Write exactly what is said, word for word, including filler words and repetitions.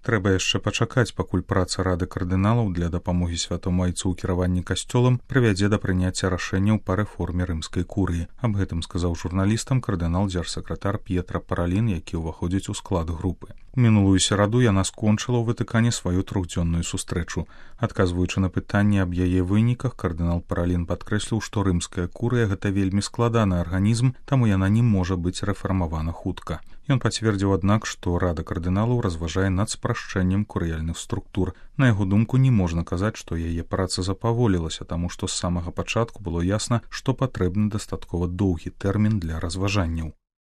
Трэба яшчэ пачакаць, пакуль праца рады кардыналаў для дапамогі святому айцу ў кіраванні касцёлам прывядзе да прыняцця рашэнняў па рэформе рымскай курыі. Аб гэтым сказаў журналістам кардынал-дзяржсакратар П'етра Паралін, які ўваходзіць у склад групы. Мінулую сераду яна скончыла ў Ватыкане сваю трохдзённую сустрэчу. Адказваючы на пытанне аб яе выніках, кардынал Паралін падкрэсліў, што рымская курыя гэта вельмі складаны арганізм, таму яна не можа быць рэфармавана хутка. Ён пацвердзіў, аднак, што рада кардыналаў разважае над спрашчэннем курыяльных структур. На яго думку, не можна казаць, што яе праца запаволілася, таму што з самага пачатку было ясна, што патрэбны дастаткова доўгі тэрмін для разважанняў.